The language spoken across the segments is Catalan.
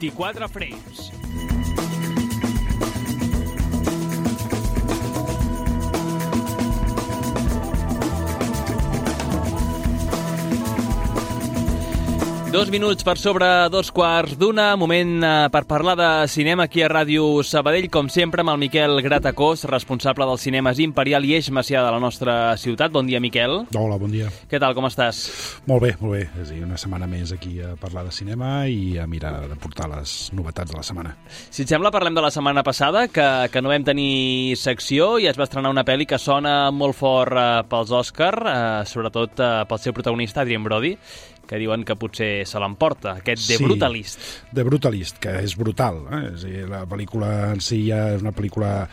24 frames. Dos minuts per sobre 2:15, moment per parlar de cinema aquí a Ràdio Sabadell, com sempre amb el Miquel Gratacós, responsable dels cinemes Imperial i Eix Macià de la nostra ciutat. Bon dia, Miquel. Hola, bon dia. Què tal, com estàs? Molt bé, molt bé. És a dir, una setmana més aquí a parlar de cinema i a mirar de portar les novetats de la setmana. Si et sembla, parlem de la setmana passada, que no vam tenir secció i es va estrenar una pel·li que sona molt fort pels Òscar, sobretot pel seu protagonista, Adrien Brody, que diuen que potser se l'emporta, aquest The Brutalist. The Brutalist, que és brutal. És a dir, la pel·lícula en si ja és una pel·lícula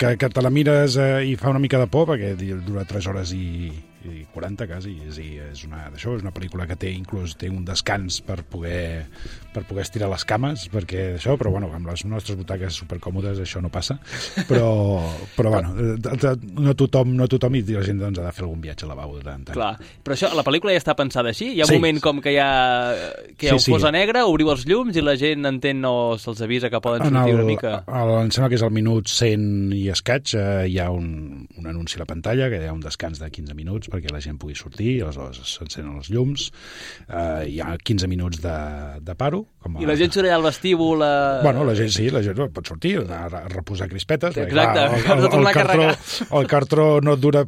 que te la mires i fa una mica de por, perquè dura 3 hores i 40 quasi. És una pel·lícula que té un descans per poder estirar les cames, perquè això, però bueno, amb les nostres butaques supercòmodes això no passa, però bueno, no tothom i la gent doncs, ha de fer algun viatge al lavabo de tant en tant. Clar, però això, la pel·lícula ja està pensada així? Hi ha un moment com que ho posa negre, obriu els llums i la gent entén o se'ls avisa que poden sortir una mica? Em sembla que és al minut 100 i escaig, hi ha un anunci a la pantalla, que hi ha un descans de 15 minuts perquè la gent pugui sortir, i aleshores s'encenen els llums, hi ha 15 minuts de paro. I la gent surt allà al vestíbul? Bueno, la gent pot sortir, a reposar crispetes. Exacte, el cartró no dura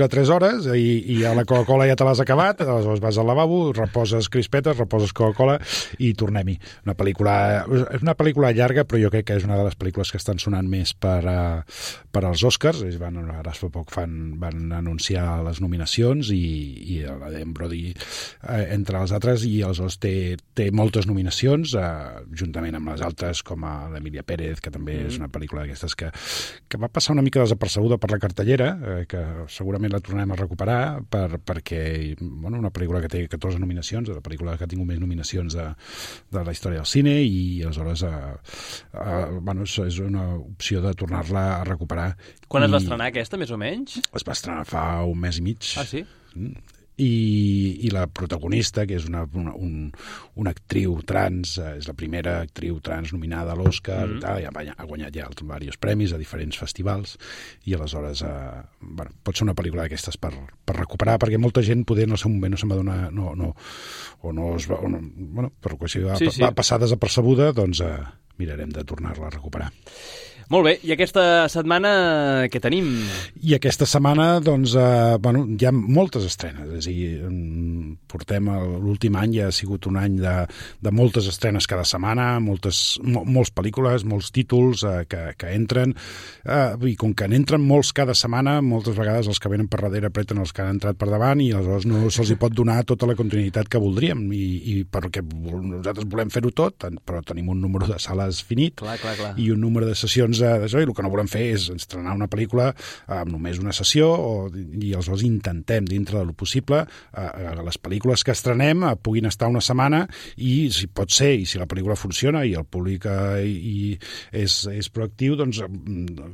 3 hores i a la Coca-Cola ja te l'has acabat, aleshores vas al lavabo, reposes crispetes, reposes Coca-Cola i tornem-hi. És una pel·lícula llarga, però jo crec que és una de les pel·lícules que estan sonant més per als Oscars. Ara fa poc van anunciar les nominacions i l'Adrien Brody entre els altres, i aleshores té moltes nominacions, juntament amb les altres com a l'Emilia Pérez, que també és una pel·lícula d'aquestes que va passar una mica desapercebuda per la cartellera, que segurament la tornem a recuperar perquè una pel·lícula que té 14 nominacions, la pel·lícula que ha tingut més nominacions de la història del cine, i aleshores és una opció de tornar-la a recuperar. Quan es va estrenar aquesta, més o menys? Es va estrenar fa un mes i mig. Ah, sí? I la protagonista, que és una actriu trans, és la primera actriu trans nominada a l'Oscar, ha guanyat ja diversos premis a diferents festivals, i aleshores pot ser una pel·lícula d'aquestes per recuperar, perquè molta gent poder en el seu moment no se'n va donar per qüestió va passar desapercebuda, doncs mirarem de tornar-la a recuperar. Molt bé, i aquesta setmana què tenim? I aquesta setmana, doncs, hi ha moltes estrenes. És a dir, portem l'últim any, ja ha sigut un any de moltes estrenes cada setmana, moltes pel·lícules, molts títols que entren, i com que n'entren molts cada setmana, moltes vegades els que venen per darrere apreten els que han entrat per davant, i aleshores no se'ls pot donar tota la continuïtat que voldríem, i perquè nosaltres volem fer-ho tot, però tenim un número de sales finit, clar. I un número de sessions d'això, i el que no volem fer és estrenar una pel·lícula amb només una sessió, i aleshores intentem, dintre de lo possible, les pel·lícules que estrenem puguin estar una setmana, i si pot ser, i si la pel·lícula funciona i el públic és proactiu, doncs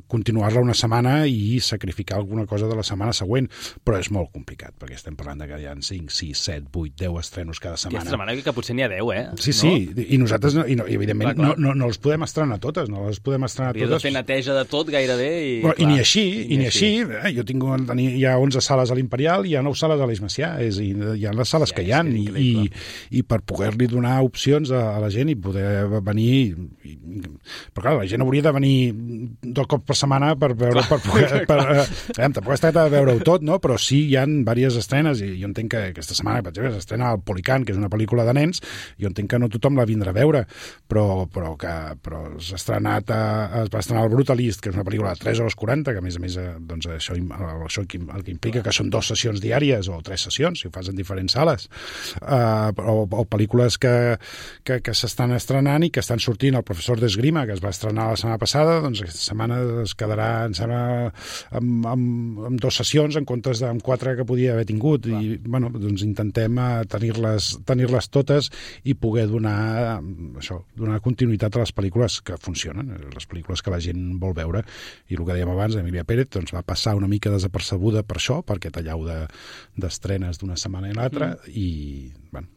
continuar-la una setmana i sacrificar alguna cosa de la setmana següent, però és molt complicat, perquè estem parlant que hi ha 5, 6, 7, 8, 10 estrenos cada setmana. Aquesta setmana que potser n'hi ha 10, eh? Sí, i nosaltres, evidentment, no les podem estrenar totes, no les podem estrenar totes. De fer neteja de tot gairebé i ni així. Jo hi ha 11 sales a l'Imperial, hi ha 9 sales a l'Eix Macià, hi ha les sales que hi ha, i per poder-li donar opcions a la gent i poder venir, però clar, la gent hauria de venir 2 cops per setmana per veure, tampoc es tracta de veure-ho tot, no? Però sí hi ha diverses estrenes, i jo entenc que aquesta setmana, per exemple, s'estrena El Policant, que és una pel·lícula de nens, jo entenc que no tothom la vindrà a veure, però es va estrenar El Brutalist, que és una pel·lícula de 3 hores 40, que a més doncs això el que implica que són 2 sessions diàries o 3 sessions, si ho fas en diferents sales, o pel·lícules que s'estan estrenant i que estan sortint. El Professor d'Esgrima, que es va estrenar la setmana passada, doncs aquesta setmana es quedarà, em sembla, amb 2 sessions en comptes amb 4 que podia haver tingut. I doncs intentem tenir-les totes i poder donar continuïtat a les pel·lícules que funcionen, les pel·lícules que que la gent vol veure. I el que dèiem abans, Emilia Pérez doncs, va passar una mica desapercebuda per això, per aquest allau d'estrenes d'una setmana i l'altra, i bueno,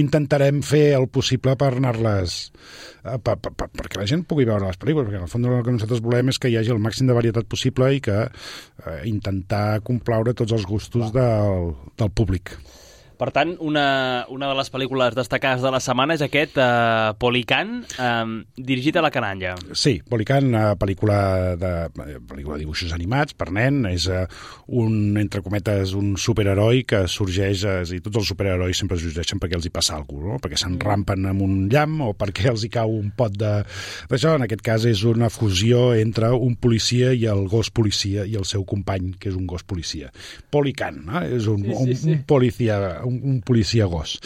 intentarem fer el possible per anar-les perquè la gent pugui veure les pel·lícules, perquè en el fons el que nosaltres volem és que hi hagi el màxim de varietat possible i que intentar complaure tots els gustos del públic. Per tant, una de les pel·lícules destacades de la setmana és aquest Polican, dirigit a la canalla. Sí, Polican, pel·lícula de dibuixos animats per nen, és entre cometes, un superheroi que sorgeix, i tots els superherois sempre sorgeixen perquè els hi passa alguna cosa, no? Perquè s'enrampen amb un llamp o perquè els hi cau un pot d'això. En aquest cas és una fusió entre un policia i el gos policia i el seu company, que és un gos policia. Polican, és un policia gos.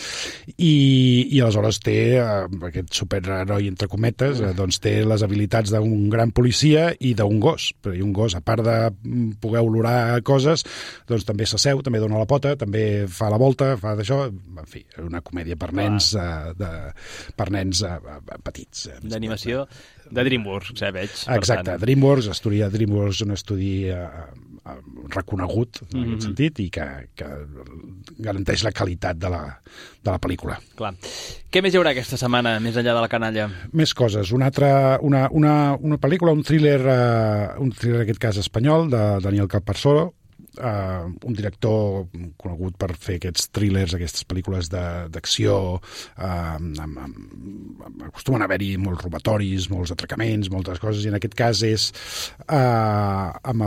I aleshores té, aquest superheroi entre cometes, doncs té les habilitats d'un gran policia i d'un gos. I un gos, a part de poder olorar coses, doncs també s'asseu, també dona la pota, també fa la volta, fa d'això. En fi, una comèdia per nens, per nens petits. D'animació de DreamWorks, veig. Exacte, DreamWorks, un estudi reconegut en aquest sentit i que garanteix la qualitat de la pel·lícula. Clar. Què més hi haurà aquesta setmana, més enllà de la canalla? Més coses. Una pel·lícula, un thriller, en aquest cas espanyol, de Daniel Calparsoro, un director conegut per fer aquests thrillers, aquestes pel·lícules d'acció, acostumen a haver-hi molts robatoris, molts atracaments, moltes coses, i en aquest cas és amb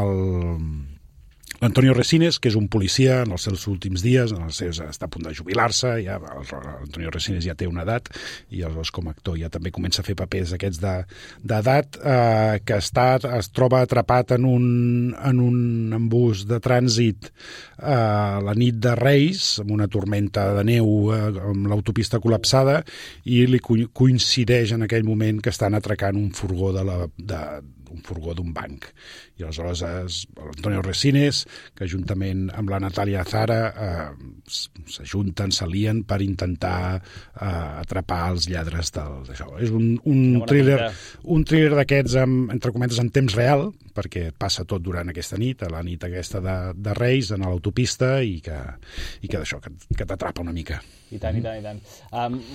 l'Antonio Resines, que és un policia en els seus últims dies, està a punt de jubilar-se, l'Antonio Resines ja té una edat, i aleshores com a actor ja també comença a fer papers aquests d'edat, que es troba atrapat en un embús de trànsit la nit de Reis, amb una tormenta de neu, amb l'autopista col·lapsada, i li coincideix en aquell moment que estan atracant un furgó d'un banc. I aleshores l'Antonio Resines, que juntament amb la Natàlia Zara s'ajunten, s'alien per intentar atrapar els lladres d'això. És un thriller d'aquests, entre cometes, en temps real, perquè passa tot durant aquesta nit, a la nit aquesta de Reis, en l'autopista, i que d'això, que t'atrapa una mica. I tant.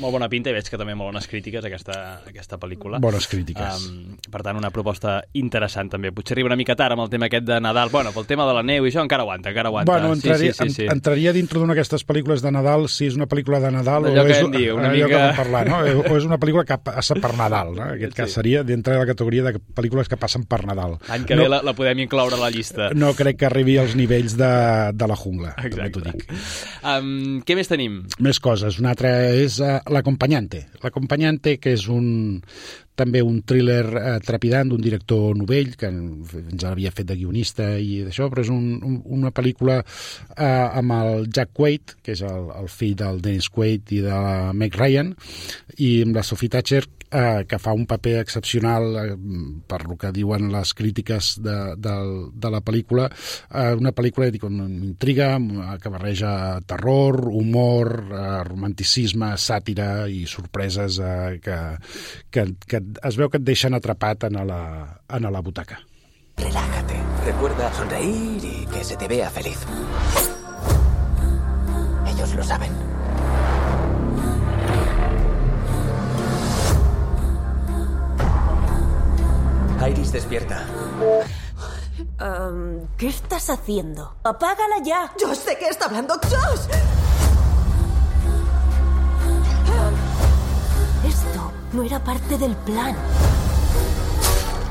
Molt bona pinta, i veig que també molt bones crítiques aquesta pel·lícula. Bones crítiques. Per tant, una proposta interessant també. Potser arriba una mica tard amb el tema aquest de Nadal. Bueno, pel tema de la neu i això encara aguanta. Bueno, entraria dintre d'una d'aquestes pel·lícules de Nadal, si és una pel·lícula de Nadal allò que vam parlar, no? O és una pel·lícula que passa per Nadal, no? En aquest cas seria dintre de la categoria de pel·lícules que passen per Nadal. L'any que ve la podem incloure a la llista. No crec que arribi als nivells de la jungla. Exacte. També t'ho dic. Què més tenim? Més coses. Una altra és L'Acompanyante. L'Acompanyante, que és també un thriller trepidant d'un director novell, que ens havia fet de guionista i d'això, però és una pel·lícula amb el Jack Quaid, que és el fill del Dennis Quaid i de la Meg Ryan, i amb la Sophie Thatcher, que fa un paper excepcional per el que diuen les crítiques de la pel·lícula. Una pel·lícula amb intriga, que barreja terror, humor, romanticisme, sàtira i sorpreses que es veu que et deixen atrapat en la butaca. Relájate. Recuerda sonreír y que se te vea feliz. Ellos lo saben. Iris, despierta. ¿Qué estás haciendo? ¡Apágala ya! ¡Yo sé que está hablando Josh! Esto no era parte del plan.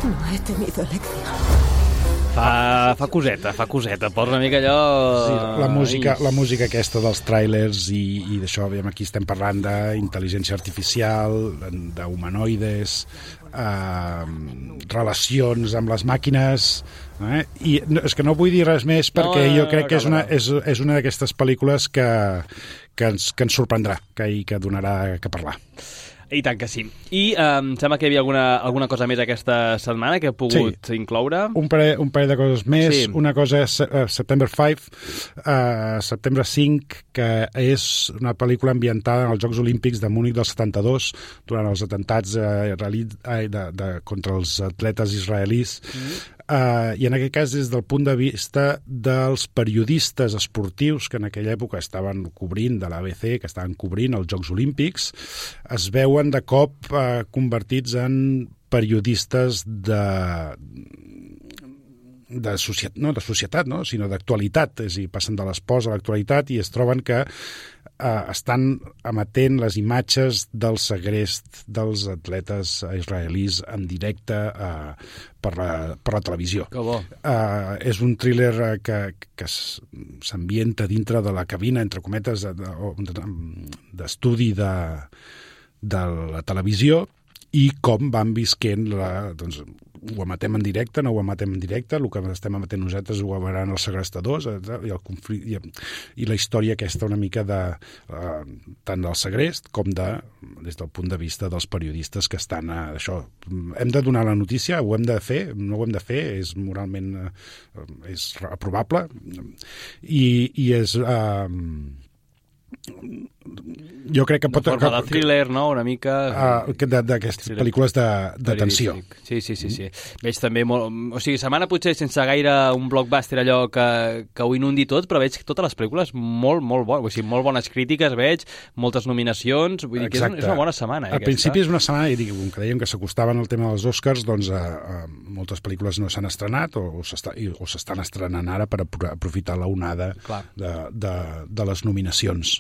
No he tenido elección. Fa coseta, posa una mica allò... Sí, la música aquesta dels tràilers i d'això, aquí estem parlant d'intel·ligència artificial, d'humanoides, relacions amb les màquines, i és que no vull dir res més perquè jo crec que és una d'aquestes pel·lícules que ens sorprendrà i que donarà que parlar. I tant que sí. I em sembla que hi havia alguna cosa més aquesta setmana que he pogut incloure. Un parell de coses més. Sí. Una cosa és September 5, que és una pel·lícula ambientada en els Jocs Olímpics de Múnich del 72, durant els atentats contra els atletes israelis. I en aquest cas, des del punt de vista dels periodistes esportius que en aquella època estaven cobrint de l'ABC, que estaven cobrint els Jocs Olímpics, es veuen de cop convertits en periodistes de societat, no? Sinó d'actualitat, és a dir, passen de l'espòs a l'actualitat i es troben que estan emetent les imatges del segrest dels atletes israelis en directe per la televisió. Que bo. És un thriller que s'ambienta dintre de la cabina, entre cometes, d'estudi de la televisió, i com van visquent doncs, ho emetem en directe, no ho emetem en directe, el que estem emetent nosaltres ho veuran els segrestadors, i el conflicte i la història aquesta una mica tant del segrest com des del punt de vista dels periodistes que estan això. Hem de donar la notícia, ho hem de fer, no ho hem de fer, és moralment és aprovable i és jo crec que pot... Forma de thriller, no?, una mica... d'aquestes pel·lícules de tensió. Sí. Veig també molt... O sigui, setmana potser sense gaire un blockbuster allò que ho inundi tot, però veig totes les pel·lícules molt bones. O sigui, molt bones crítiques, veig, moltes nominacions... Vull dir que és una bona setmana. Al principi és una setmana, i com que dèiem que s'acostaven al tema dels Oscars, doncs moltes pel·lícules no s'han estrenat o s'estan estrenant ara per aprofitar la onada de les nominacions.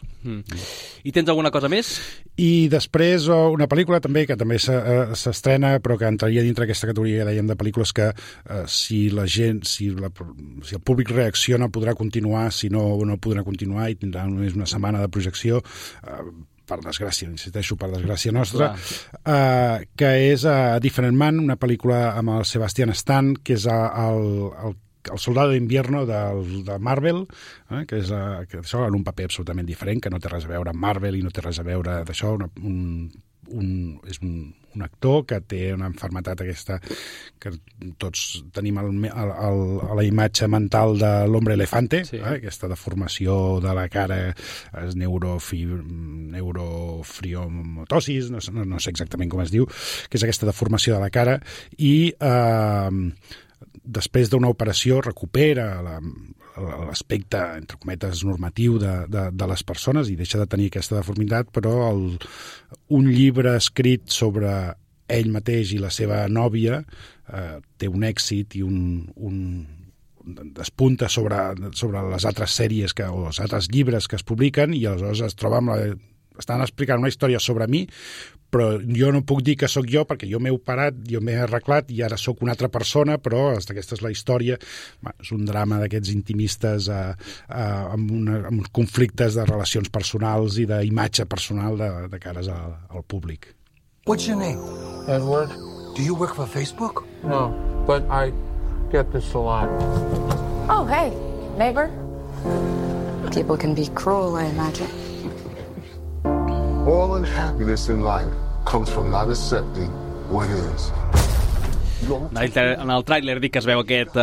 I tens alguna cosa més? I després una pel·lícula també que també s'estrena, però que entraria dintre aquesta categoria que dèiem de pel·lícules que si el públic reacciona podrà continuar, si no podrà continuar i tindrà només una setmana de projecció, per desgràcia, insisteixo, per desgràcia nostra, que és A Different Man, una pel·lícula amb el Sebastian Stan, que és el soldado d'invierno de Marvel, que això en un paper absolutament diferent, que no té res a veure amb Marvel i no té res a veure d'això, és un actor que té una malaltia aquesta que tots tenim a la imatge mental de l'hombre elefante, aquesta deformació de la cara, és neurofriomotosis, no sé exactament com es diu, que és aquesta deformació de la cara, i després d'una operació recupera l'aspecte, entre cometes, normatiu de les persones i deixa de tenir aquesta deformitat, però un llibre escrit sobre ell mateix i la seva nòvia té un èxit i despunta sobre les altres sèries o els altres llibres que es publiquen, i aleshores es troba estan explicant una història sobre mi, però jo no puc dir que sóc jo perquè jo m'he operat, jo m'he arreglat i ara sóc una altra persona, però aquesta és la història. És un drama d'aquests intimistes amb conflictes de relacions personals i d'imatge personal de cares al públic. What's your name? Edward. Do you work for Facebook? No, but I get this a lot. Oh, hey, neighbor. People can be cruel, I imagine. All unhappiness in life comes from not accepting what is. En el tràiler dic que es veu aquest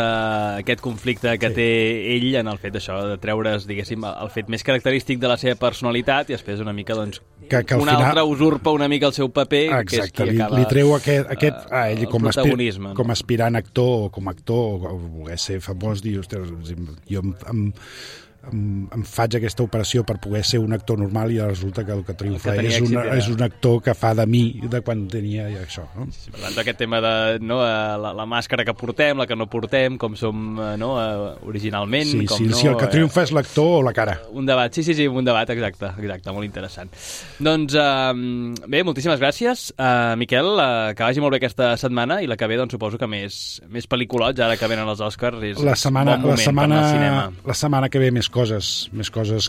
conflicte que té ell en el fet d'això, de treure's, diguéssim, el fet més característic de la seva personalitat i després una mica, doncs, que un altre usurpa una mica el seu paper. Exacte, que és qui acaba li treu ell com a aspirant actor o com a actor, o voler ser famós, dir, ostres, jo em faig aquesta operació per poder ser un actor normal i resulta que el que triomfa és un actor que fa de mi de quan tenia això, no? Sí, per tant, aquest tema de la màscara que portem, la que no portem, com som originalment. Si el que triomfa és l'actor o la cara. Un debat, sí, un debat, exacte, molt interessant. Doncs bé, moltíssimes gràcies, Miquel, que vagi molt bé aquesta setmana, i la que ve, doncs, suposo que més pel·lículots, ara que venen els Oscars, és bon moment per anar al cinema. La setmana que ve més coses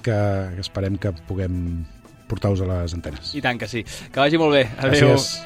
que esperem que puguem portar-vos a les antenes. I tant que sí. Que vagi molt bé. Adéu. Gràcies.